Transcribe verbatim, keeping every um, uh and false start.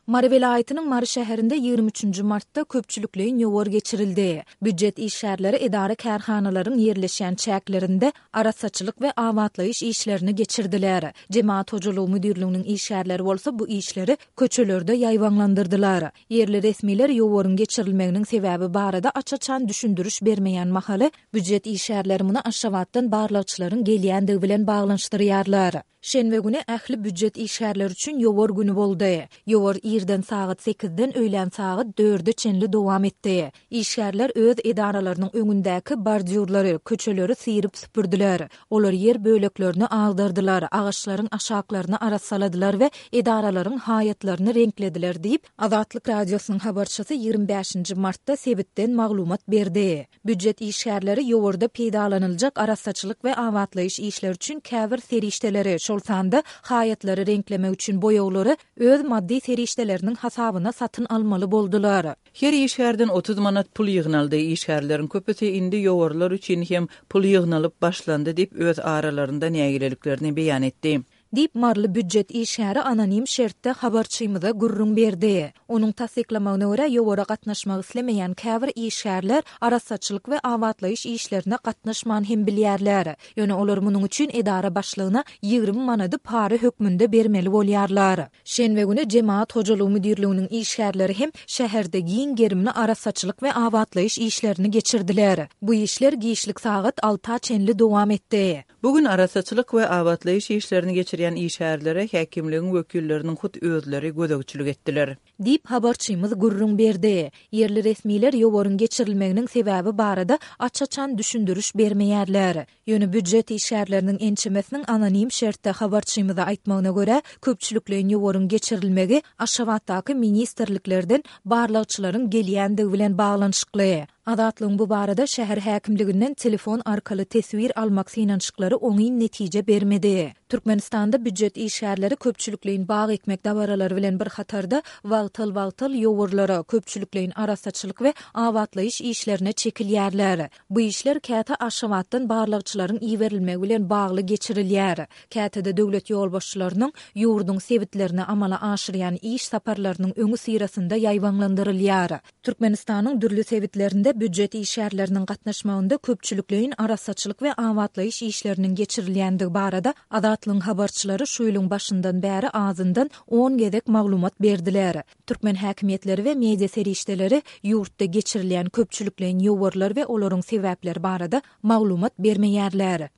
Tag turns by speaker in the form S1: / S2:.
S1: Mary welaýatynyň Mary şäherinde ýigrimi üçünji martda köpçülikleýin ýowar geçirildi. Býujet işgärleri edara-kärhanalaryň ýerleşýän çäklerinde arassaçylyk we abatlaýyş işlerini geçirdiler. Jemagat hojalygy müdirliginiň işgärleri bolsa bu işleri köçelerde ýaýbaňlandyrdylar. Ýerli resmiler ýowaryň geçirilmeginiň sebäbi barada aç-açan düşündiriş bermeýän mahaly, býujet işgärleri muny Aşgabatdan barlagçylaryň gelýändigi bilen baglanyşdyrýarlar. Şenbe güni ähli býujet işgärleri üçin ýowar güni boldy. Ýowar irden sagat sekizden öýlän sagat dörde çenli dowam etdi. Işgärler öz edaralarynyň öňündäki bordýurlary, köçeleri syryp süpürdiler. Olar ýer böleklerini agdardylar, agaçlaryň aşaklaryny arassaladylar we edaralaryň haýatlaryny reňklediler diýip, Azatlyk Radiosynyň habarçysy ýigrimi bäşinji martda sebitden maglumat berdi. Býujet işgärleri ýowarda peýdalanyljak arassaçylyk we abatlaýyş işleri üçin käbir serişdeleri, şol sanda haýatlary reňklemek üçin boýaglary öz maddy serişdeleriniň hasabyna satyn almaly boldular.
S2: Her işgärden otuz manat pul ýygnaldy. Işgärleriň köpüsi indi ýowarlar üçin hem pul ýygnalyp başlandy diýip, öz aralarynda nägileliklerini beýan etdi.
S1: Diýip, maryly býujet işgäri anonim şertde habarçymyza gürrüň berdi. Onuň tassyklamagyna görä, ýowara gatnaşmak islemeýän käbir işgärler arassaçylyk we abatlaýyş işlerine gatnaşman hem bilýärler. Ýöne olar munuň üçin edara başlygyna ýigrimi manady para hökmünde bermeli bolýarlar. Şenbe güni Jemagat hojalygy müdirliginiň işgärleri hem şäherde giň gerimli arassaçylyk we abatlaýyş işlerini geçirdiler. Bu işler giçlik sagat alta çenli dowam etdi.
S2: Bu gün arassaçylyk we abatlaýyş işlerini geçirýän işgärlere häkimligiň wekilleriniň hut özleri gözegçilik etdiler.
S1: Diýip, habarçymyz gürrüň berdi. Ýerli resmiler ýowaryň geçirilmeginiň sebäbi barada aç-açan düşündiriş bermeýärler. Ýöne býujet işgärleriniň ençemesiniň anonim şertde habarçymyza aýtmagyna görä, köpçülikleýin ýowaryň geçirilmegi Aşgabatdaky ministrliklerden barlagçylaryň gelýändigi bilen baglanyşykly. Azatlygyň bu barada şäher häkimliginden telefon arkaly teswir almak synanyşyklary oňyn netije bermedi. Türkmenistanda býujet işgärleri köpçülikleýin bag ekmek dabaralary bilen bir hatarda wagtal-wagtal ýowarlara, köpçülikleýin arassaçylyk we abatlaýyş işlerine çekilýärler. Bu işler käte Aşgabatdan barlagçylaryň iberilmegi bilen bagly geçirilýär. Käte-de döwlet ýolbaşçylarynyň ýurduň sebitlerine amala aşyrýan iş saparlarynyň öňüsyrasynda ýaýbaňlandyrylýar. Türkmenistanyň dürli sebitlerinde býujet işgärleriniň gatnaşmagynda köpçülikleýin arassaçylyk we abatlaýyş işleriniň geçirilýändigi barada Azatlygyň habarçylary şu ýylyň başyndan bäri azyndan on gezek maglumat berdiler. Türkmen häkimiýetleri we media serişdeleri ýurtda geçirilýän köpçülikleýin ýowarlar we olaryň sebäpleri barada maglumat bermeýärler.